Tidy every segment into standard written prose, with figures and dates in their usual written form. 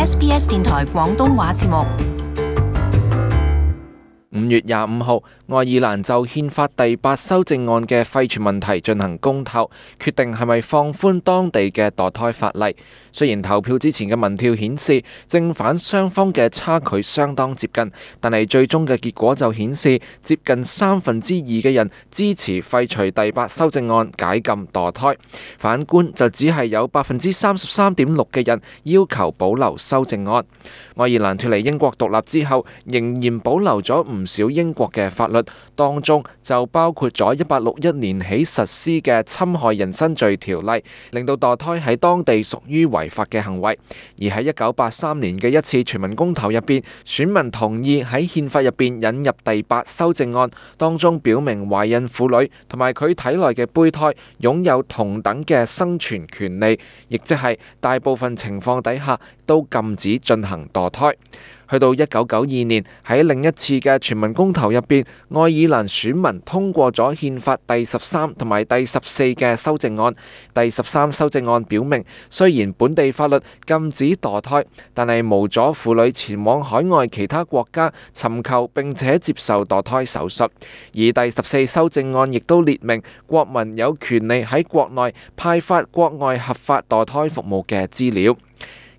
SBS 電台廣東話節目。5月25號，愛爾蘭就憲法第8修正案嘅廢除問題進行公投，決定係咪放寬當地嘅墮胎法例。雖然投票之前嘅民調顯示正反雙方嘅差距相當接近，但係最終嘅結果就顯示接近2/3嘅人支持廢除第8修正案解禁墮胎，反觀就只係有33.6%嘅人要求保留修正案。愛爾蘭脫離英國獨立之後，仍然保留咗唔少英國嘅法律，當中就包括咗1861年起實施嘅侵害人身罪條例，令到墮胎喺當地屬於違法嘅行為。而喺1983年嘅一次全民公投入邊，選民同意喺憲法入邊引入第8修正案，當中表明懷孕婦女同埋佢體內嘅胚胎擁有同等嘅生存權利，亦即係大部分情況底下都禁止進行墮胎。去到1992年，喺另一次嘅全民公投入邊，愛爾蘭選民通過咗憲法第13同埋第14嘅修正案。第13修正案表明，雖然本地法律禁止墮胎，但係無阻婦女前往海外其他國家尋求並且接受墮胎手術。而第14修正案亦都列明，國民有權利喺國內派發國外合法墮胎服務嘅資料。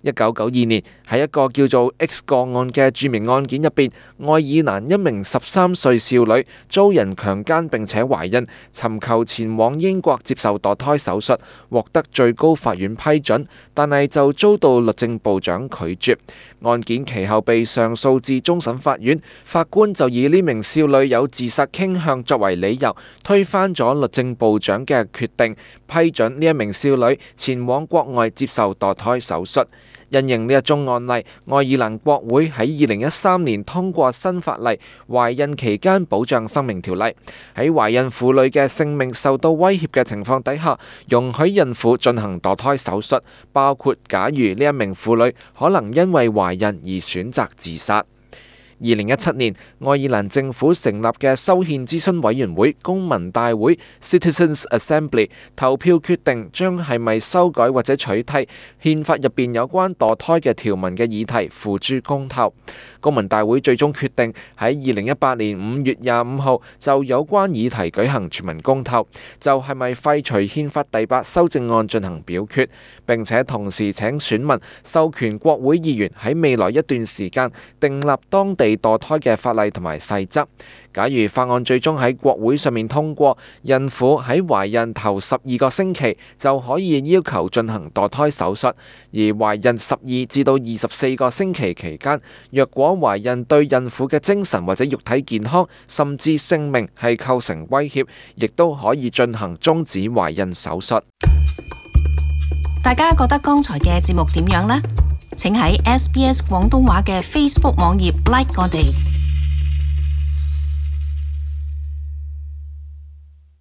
1992年，喺一個叫做 X 個案嘅著名案件入邊，愛爾蘭一名13歲少女遭人強姦並且懷孕，尋求前往英國接受墮胎手術，獲得最高法院批准，但係就遭到律政部長拒絕。案件其後被上訴至終審法院，法官就以呢名少女有自殺傾向作為理由，推翻咗律政部長嘅決定，批准呢一名少女前往國外接受墮胎手術。因應呢一宗案例，愛爾蘭國會喺2013年通過新法例《懷孕期間保障生命條例》，喺懷孕婦女嘅性命受到威脅嘅情況底下，容許孕婦進行墮胎手術，包括假如呢一名婦女可能因為懷孕而選擇自殺。2017年，愛爾蘭政府成立嘅修憲諮詢委員會公民大會 Citizens Assembly 投票決定將係咪修改或者取締憲法入邊有關墮胎嘅條文嘅議題付諸公投。公民大會最終決定喺2018年5月25號就有關議題舉行全民公投，就係咪廢除憲法第8修正案進行表決，並且同時請選民授權國會議員喺未來一段時間訂立當地墮胎嘅法例同埋細則。假如法案最終喺國會上面通過，孕婦喺懷孕頭12個星期就可以要求進行墮胎手術，而懷孕12至到24個星期期間，若果懷孕對孕婦嘅精神或者肉體健康甚至性命係構成威脅，亦都可以進行終止懷孕手術。大家覺得剛才嘅節目點樣呢？請喺SBS 廣東話嘅 Facebook 網頁 like 我哋。